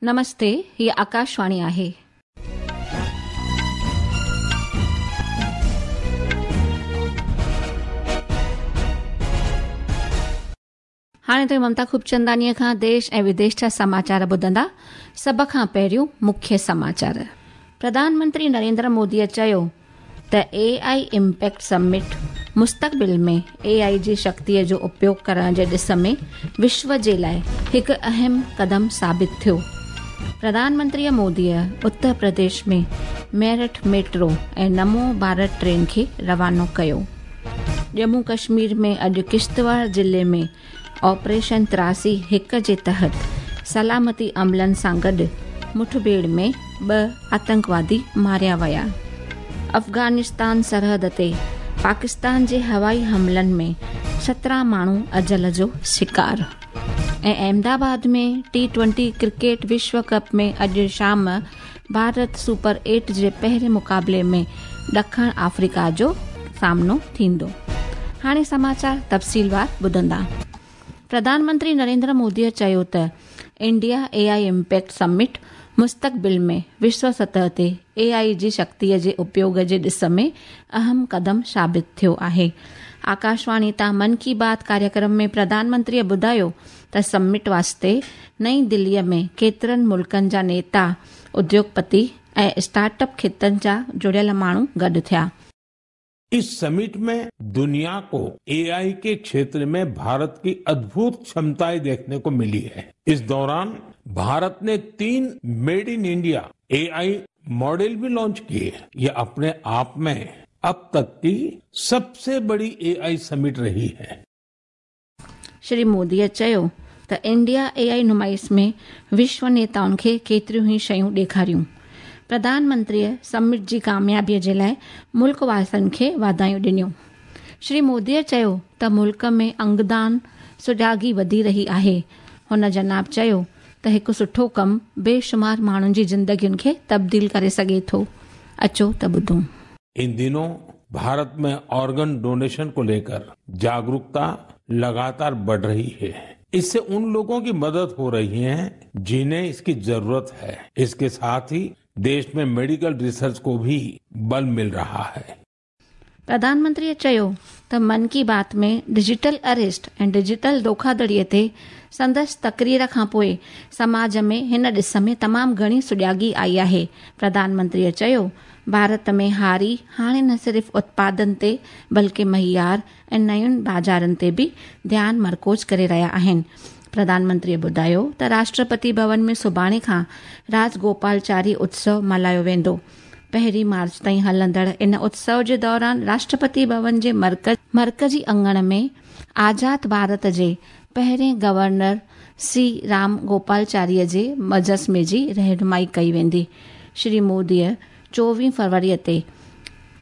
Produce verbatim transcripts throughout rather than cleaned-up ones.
नमस्ते, ही आकाशवाणी आहे. हाणे त ममता खूबचंदानीअ खां देश ऐं विदेश जा समाचार ॿुधंदा. सभ खां पहिरियों मुख्य समाचार. प्रधानमंत्री नरेंद्र मोदीअ चयो त ए I impact summit मुस्तक़बिल में ए आई जी शक्तिअ जो उपयोग करण जे ॾिस में विश्व जे लाइ हिकु अहम कदम साबित थियो. प्रधानमंत्रीअ मोदीअ उत्तर प्रदेश में मेरठ मेट्रो ऐं नमो भारत ट्रेन खे रवानो कयो. जम्मू कश्मीर में अॼु किश्तवाड़ ज़िले में ऑपरेशन तिरासी हिकु जे तहत सलामती अमलनि सां गॾु मुठभेड़ में ॿ आतंकवादी मारिया विया. अफ़गानिस्तान सरहद ते पाकिस्तान जे हवाई हमलनि में सत्रहं माण्हू अजल जो शिकार. ऐं अहमदाबाद में टी ट्वेंटी क्रिकेट विश्व कप में अॼु शाम भारत सुपर एट जे पहिरें मुक़ाबले में ॾखण अफ्रीका जो सामनो थींदो. हाणे समाचार तफ़सीलवार ॿुधंदा. प्रधानमंत्री नरेंद्र मोदीअ चयो त India A I impact summit मुस्तक़बिल में विश्व सतह ते ए आई जी शक्तिअ जे उपयोग जे ॾिस में अहम कदम साबित थियो आहे. आकाशवाणी तां मन की बात कार्यक्रम में प्रधानमंत्रीअ ॿुधायो त समिट वास्ते नई दिल्लीअ में केतिरनि मुल्कनि जा नेता, उद्योगपति ऐं स्टार्टअप ख़ितनि जा जुड़ियल माण्हू गॾु थिया. इस समिट में दुनिया को एआई के क्षेत्र में भारत की अद्भुत क्षमताएं देखने को मिली है. इस दौरान भारत ने तीन made in India AI model भी लॉन्च किए. ये अपने आप में अब तक की सबसे बड़ी एआई समिट रही है. श्री मोदीअ चयो त इंडिया एआई नुमाइश में विश्व नेताउनि खे केतिरियूं ई शयूं ॾेखारियूं. प्रधानमंत्रीअ समिट जी कामयाबीअ जे लाइ मुल्क वासियुनि खे वाधायूं ॾिनियूं. श्री मोदीअ चयो त मुल्क में अंगदान सुजागी वधी रही आहे. हुन जनाब चयो त हिकु सुठो कमु बेशुमार माण्हुनि जी ज़िंदगियुनि खे तब्दील करे सघे थो. अचो त ॿुधूं. इन दिनों भारत में ऑर्गन डोनेशन को लेकर जागरूकता लगातार बढ़ रही है. इससे उन लोगों की मदद हो रही है जिन्हें इसकी जरूरत है. इसके साथ ही देश में मेडिकल रिसर्च को भी बल मिल रहा है. प्रधानमंत्रीअ चयो त मन की बात में डिजिटल अरेस्ट ऐं डिजिटल धोखाधड़ीअ ते संदसि तकरीर खां पोइ समाज में हिन ॾिस में तमामु घणी सुजागी आई आहे. प्रधानमंत्रीअ चयो भारत में हारी हाणे न सिर्फ़ उत्पादन ते बल्कि मइयार ऐं नयुनि बाज़ारनि ते बि ध्यानु मरकूज़ करे रहिया आहिनि. प्रधानमंत्रीअ ॿुधायो त राष्ट्रपति भवन में सुभाणे खां राजगोपालचारी उत्सव मल्हायो वेंदो. पहिरीं मार्च ताईं हलंदड़ इन उत्सव जे दौरान राष्ट्रपति भवन जे मर्कज़ मर्कज़ी अंगण में आज़ाद भारत जे पहिरें गवर्नर सी राम गोपालचारीअ जे मुजस्मे जी रहनुमाई कई वेंदी. श्री मोदीअ चोवीह फरवरीअ ते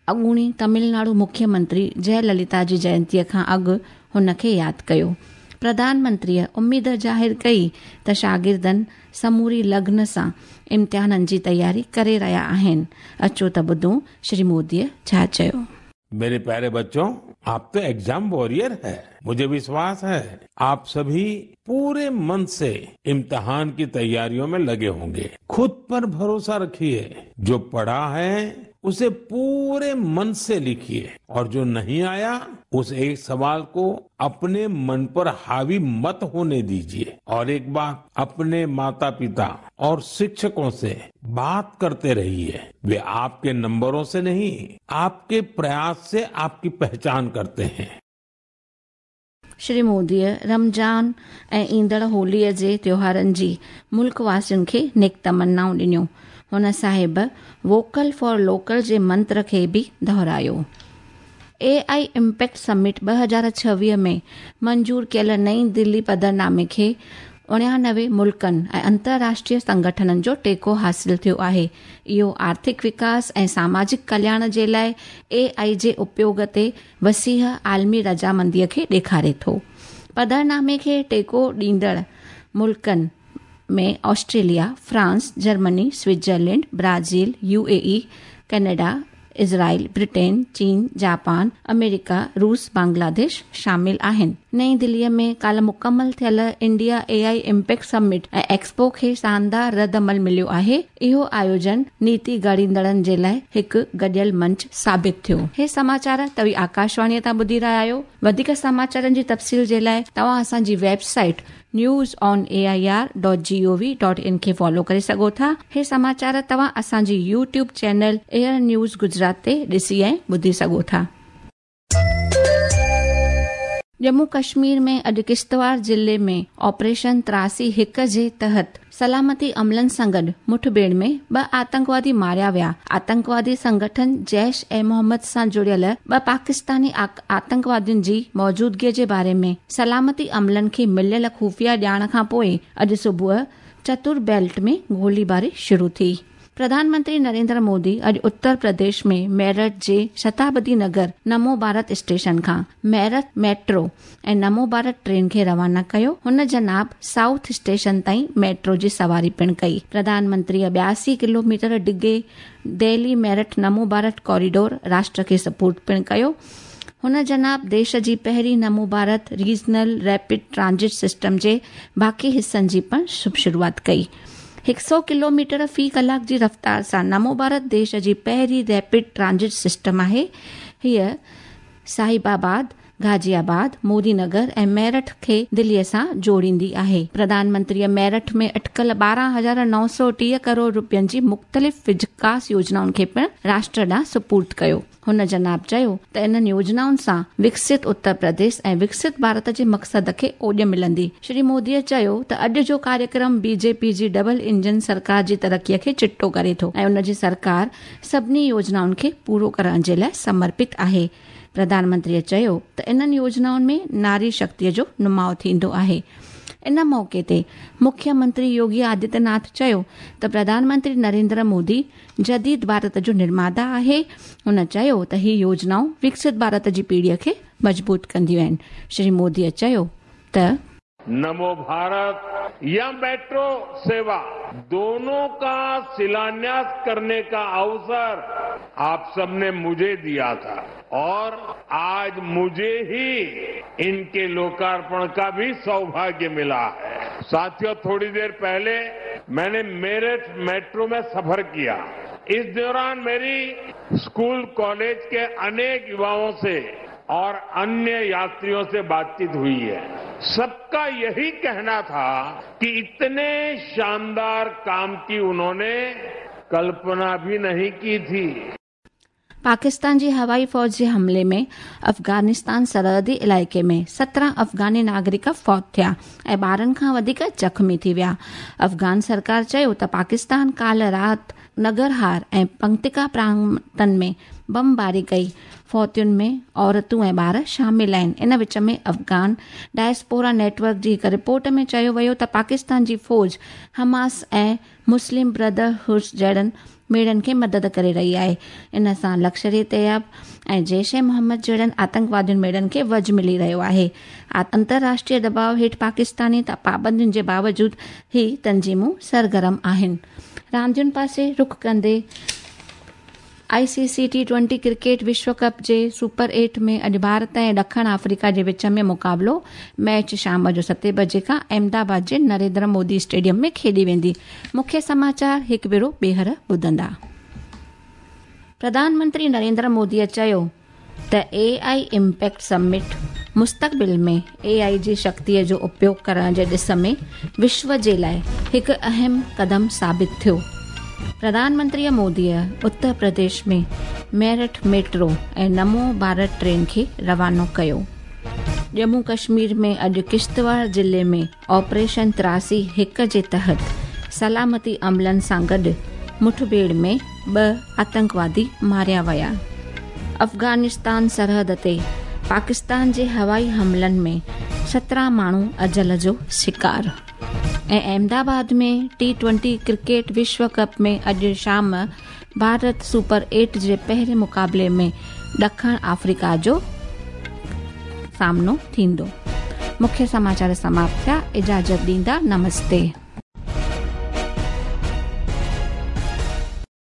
अॻूणी तमिलनाडु मुख्यमंत्री जयललिता जी जयंतीअ खां अॻु हुन खे यादि कयो. प्रधानमंत्रीअ उमेद ज़ाहिर कई त शागिर्दनि समूरी लगन सां इम्तिहाननि जी तयारी करे रहिया आहिनि. अचो त ॿुधूं श्री मोदीअ छा चयो. मेरे प्यारे बच्चों, आप तो एग्जाम वॉरियर है. मुझे विश्वास है आप सभी पूरे मन से इम्तिहान की तैयारियों में लगे होंगे. खुद पर भरोसा रखिए. जो पढ़ा है उसे पूरे मन से लिखिए और जो नहीं आया उस एक सवाल को अपने मन पर हावी मत होने दीजिए. और एक बात, अपने माता पिता और शिक्षकों से बात करते रहिए. वे आपके नंबरों से नहीं, आपके प्रयास से आपकी पहचान करते हैं. श्री मोदीअ रमज़ान ऐं ईंदड़ होलीअ जे त्योहारनि जी मुल्क वासियुनि खे नेक तमन्नाऊं ॾिनियूं. हुन साहिब वोकल फॉर लोकल जे मंत्र खे बि दोहरायो. ए I impact summit ॿ हज़ार छवीह में मंज़ूर कयल नई दिल्ली पधरनामे खे उणियानवे मुल्कनि ऐं अंतर्राष्ट्रीय संगठननि जो टेको हासिल थियो आहे. इहो आर्थिक विकास ऐं सामाजिक कल्याण जे लाइ ए आई जे उपयोग ते वसीह आलमी रज़ामंदीअ खे ॾेखारे थो. पधरनामे खे टेको ॾींदड़ मुल्कनि में Australia, France, Germany, Switzerland, Brazil, U A E, Canada, Israel, Britain, चीन، जापान، अमेरिका، रूस، बांग्लादेश शामिल आहिनि। नई दिल्लीअ में काल्ह मुकमल थियल इंडिया एआई इम्पैक्ट समिट ऐं एक्सपो खे शानदार रद्द अमल मिलियो आहे। इहो आयोजन नीति घड़ींदड़नि जे लाइ हिकु गॾियल मंच साबित थियो। हे समाचार तव्हीं आकाशवाणीअ तां ॿुधी रहिया आहियो। वधीक समाचारनि जी तफ़सील जे लाइ तव्हां असांजी website news on A I R dot G O V dot in खे फॉलो करे सघो था। हे समाचार तव्हां असांजी YouTube channel AIR news Gujarat ते ॾिसी ऐं ॿुधी सघो था। जम्मू कश्मीर में अॼु किश्तवाड़ ज़िले में ऑपरेशन त्रासी हिकु जे तहत सलामती अमलनि सां गॾु मुठभेड़ में ॿ आतंकवादी मारिया विया। आतंकवादी संगठन जैश ए मोहम्मद सां जुड़ियल ॿ पाकिस्तानी आतंकवादियुनि जी मौजूदगीअ जे बारे में सलामती अमलनि खे मिलियल ख़ुफ़िया ॼाण खां पोइ अॼु सुबुह चतुर बेल्ट में गोलीबारी शुरू थी। प्रधानमंत्री नरेंद्र मोदी अॼु उत्तर प्रदेश में मेरठ जे शताब्दी नगर नमो भारत स्टेशन खां मेरठ मेट्रो ऐं नमो भारत ट्रेन खे रवाना कयो। हुन जनाब साउथ स्टेशन ताईं मेट्रो जी सवारी पिणु कई। प्रधानमंत्रीअ ॿियासी किलोमीटर डिघे दिल्ली मेरठ नमो भारत कॉरिडोर राष्ट्र खे सपोर्ट पिणु कयो। हुन जनाब देश जी पहिरीं Namo Bharat regional rapid transit system जे बाक़ी हिसनि जी पिणु शुभ शुरूआत कई। हिकु सौ किलोमीटर फ़ी कलाक जी रफ़्तार सां नमो भारत देश जी पहिरीं रैपिड ट्रांजिट सिस्टम आहे। हीअ साहिबाबाद, गाज़ियाबाद, मोदी नगर ऐं मेरठ खे दिल्लीअ सां जोड़ींदी आहे। प्रधानमंत्रीअ मेरठ में अटकल ॿारहं हज़ार नौ सौ टीह करोड़ रुपयनि जी मुख़्तलिफ़ विकास योजनाउनि खे पिणु राष्ट्र ॾांहुं सुपुर्द कयो। हुन जनाब चयो त इन्हनि योजनाउनि सां विकसित उत्तर प्रदेश ऐं विकसित भारत जे मक़सद खे ओॾ मिलंदी। श्री मोदीअ चयो त अॼु जो कार्यक्रम बीजेपी जी डबल इंजन सरकार जी तरक़ीअ खे चिटो करे थो ऐं उन जी सरकार सभिनी योजनाउनि खे पूरो करण जे लाइ समर्पित आहे। प्रधानमंत्रीअ चयो त इन्हनि योजनाउनि में नारी शक्तिअ जो नुमाउ थींदो आहे। इन मौक़े ते मुख्यमंत्री योगी आदित्यनाथ चयो त प्रधानमंत्री नरेंद्र मोदी जदीद भारत जो निर्माता आहे। हुन चयो त ही योजनाऊं विकसित भारत जी पीढ़ीअ खे मज़बूत कंदियूं आहिनि। श्री मोदीअ चयो त नमो भारत या मेट्रो सेवा दोनों का शिलान्यास करने का अवसर आप सबने मुझे दिया था और आज मुझे ही इनके लोकार्पण का भी सौभाग्य मिला है। साथियों, थोड़ी देर पहले मैंने मेरठ मेट्रो में सफर किया। इस दौरान मेरी स्कूल कॉलेज के अनेक युवाओं से और अन्य यात्रियों से बातचीत हुई है। सबका यही कहना था कि इतने शानदार काम की उन्होंने कल्पना भी नहीं की थी। पाकिस्तान जी हवाई फ़ौज जे हमले में अफ़गानिस्तान सरहदी इलाइक़े में सत्रहं अफ़गानी नागरिक फौत थिया ऐं ॿारहं खां वधीक ज़ख़्मी थी विया। अफ़गान सरकार चयो त पाकिस्तान काल्ह राति नगरहार ऐं पंक्तिका प्रांतनि में बमबारी कई। फौतियुनि में औरतूं ऐं ॿार शामिल आहिनि। इन विच में अफ़गान डायस्पोरा नेटवर्क जी हिकु रिपोर्ट में चयो वियो त पाकिस्तान जी फ़ौज हमास ऐं मुस्लिम ब्रदरहुड जहिड़नि मेड़नि खे मदद करे रही आहे। इन सां लश्कर तैयब ऐं जैश ए मोहम्मद जहिड़नि आतंकवादियुनि मेड़नि खे वज मिली रहियो आहे। अंतर्राष्ट्रीय दबाव हेठि पाकिस्तानी पाबंदियुनि जे बावजूद ही तंज़ीमूं सरगर्म आहिनि। रांदियुनि पासे रुख कंदे आईसीसी टी ट्वेंटी क्रिकेट विश्व कप जे सुपर एट में अॼु भारत ऐं ॾखिण आफ्रीका जे विच में मुक़ाबिलो। मैच शाम जो सते बजे खां अहमदाबाद जे नरेंद्र मोदी स्टेडियम में खेॾी वेंदी। मुख्य समाचार हिकु भेरो ॿीहर ॿुधंदा। प्रधानमंत्री नरेंद्र मोदीअ चयो त एआई इम्पैक्ट समिट मुस्तक़बिल में एआई जी शक्तिअ जो उपयोग करण जे ॾिस में विश्व जे लाइ हिकु अहम क़दम साबित थियो। प्रधानमंत्रीअ मोदीअ उत्तर प्रदेश में मेरठ मेट्रो ऐं नमो भारत ट्रेन खे रवानो कयो। जम्मू कश्मीर में अॼु किश्तवाड़ ज़िले में ऑपरेशन त्रासी हिकु जे तहत सलामती अमलनि सां गॾु मुठभेड़ में ॿ आतंकवादी मारिया विया। अफ़गानिस्तान सरहद ते पाकिस्तान जे हवाई हमलनि में सत्रहं माण्हू अजल जो शिकार। ऐं अहमदाबाद में टी ट्वेंटी क्रिकेट विश्व कप में अॼु शाम भारत सुपर एट जे पहिरें मुक़ाबले में ॾखिण आफ्रीका जो सामनो थींदो। मुख्य समाचार समाप्त थिया। इजाज़त ॾींदा। नमस्ते।